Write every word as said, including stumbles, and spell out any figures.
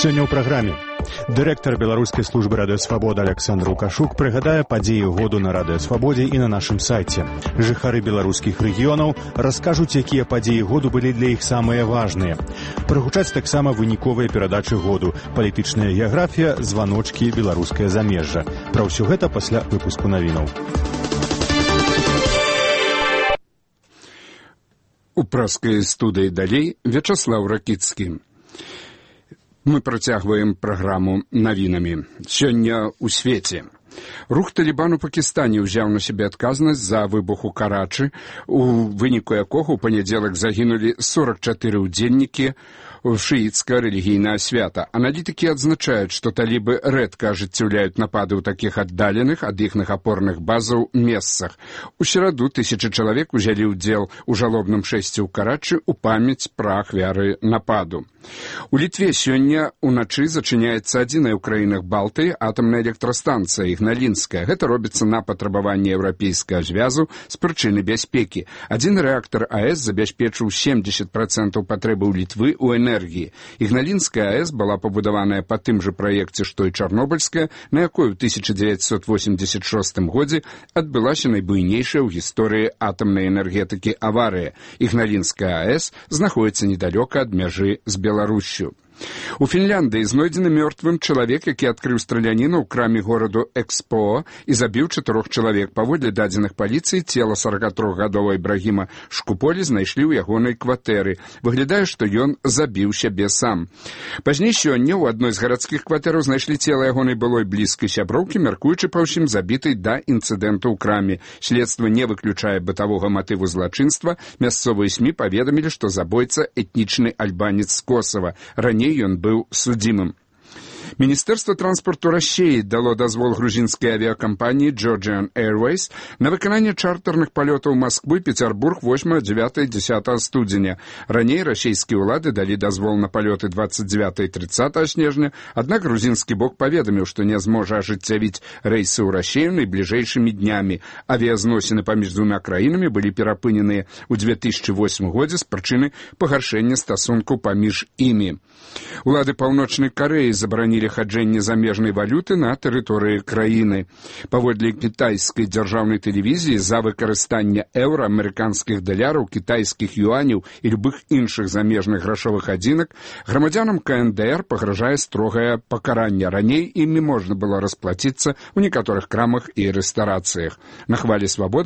Сёння ў праграме. Дырэктар беларускай службы радыёсвабода Александр Лукашук прыгадае падзеі году на радыёсвабодзе і на нашым сайце. Жыхары беларускіх рэгіёнаў раскажуць, якія падзеі году былі для іх самыя важныя. Прагучаць таксама выніковыя перадачы году, палітычная геаграфія, званочкі, беларускае замежжа. Пра ўсё гэта пасля выпуску навінаў. У праскай студыі далей Вячаслаў Ракіцкі. Мы працягваем праграму навінамі. Сёння ў свеце. Рух Талібан у Пакістане ўзяў на сябе адказнасць за выбух у Карачы, у выніку якога ў панядзелак загінулі сорок чатыры ўдзельнікі шиитское религийное свято. Аналитики отзначают, что талибы редко ажыццяўляюць напады ў таких отдаленных ад іхных опорных базаў месцах. У сераду тысячи человек узялі ўдзел у жалобным шэсці ў Карачы ў памяць пра ахвяры нападу. У Літве сёння уначы зачыняецца адзіная ў краінах Балтыі атамная электрастанцыя Ігналінская. Гэта робіцца на патрабаванне еўрапейскага звязу з прычыны бяспекі. Адзін рэактар АЭС забяспечыў семьдесят процентов патрэбаў Літвы ў энергіі. Ігналінская АЭС была пабудаваная па тым жа праекце, што і Чарнобыльская, на якой у тысяча дзевяцьсот восемьдесят шостым годзе адбылася найбуйнейшая ў гісторыі атамнай энергетыкі аварыя. Ігналінская АЭС знаходіцца недалёка ад мяжы з Беларусю. Беларусью. У Фінляндыі знойдзены мёртвым чалавек, які адкрыў страляніну ў краме гораду Экспоо і забіў чатырох чалавек. Паводле дадзеных паліцыі, цела сорокатрохгадовага Ібрагіма Шкуполі знайшлі ў ягонай кватэры. Выглядае, што ён забіў сябе сам. Пазней сёння ў адной з гарадскіх кватэраў знайшлі цела ягонай былой блізкай сяброўкі, мяркуючы па ўсім забітай да інцыдэнту ў краме. Следства не выключае бытавога матыву злачынства. Мясцовыя СМІ паведамілі, што забойца этнічны альбанец з Косава. Раней ён быў судзімым. Міністэрства транспарту Расіі дало дазвол грузінскай авіакампаніі Georgian Airways на выкананне чартэрных палётаў Масквы, Пецярбург восьмага, дзевятага, дзесятага студзеня. Раней расійскія ўлады далі дазвол на палёты двадцать девятого и тридцатого снежня, аднак грузінскі бок паведаміў, што не зможа ажыццявіць рэйсы ў Расію найбліжэйшымі днямі. Авіязносіны паміж двума краінамі былі перапыненыя ў две тысячи восьмым годзе з прычыны пагаршэння стасунку паміж імі. Улады Паўночнай Карэі забаранілі хаджэнне замежнай валюты на тэрыторыі краіны. Паводле кітайскай дзяржаўнай тэлевізіі, за выкарыстанне еўра, амерыканскіх даляраў, кітайскіх юаняў і любых іншых замежных грашовых адзінак грамадзянам КНДР пагражае строгае пакаранне. Раней імі можна было расплаціцца ў некаторых крамах і рэстарацыях. На хвалі свабоды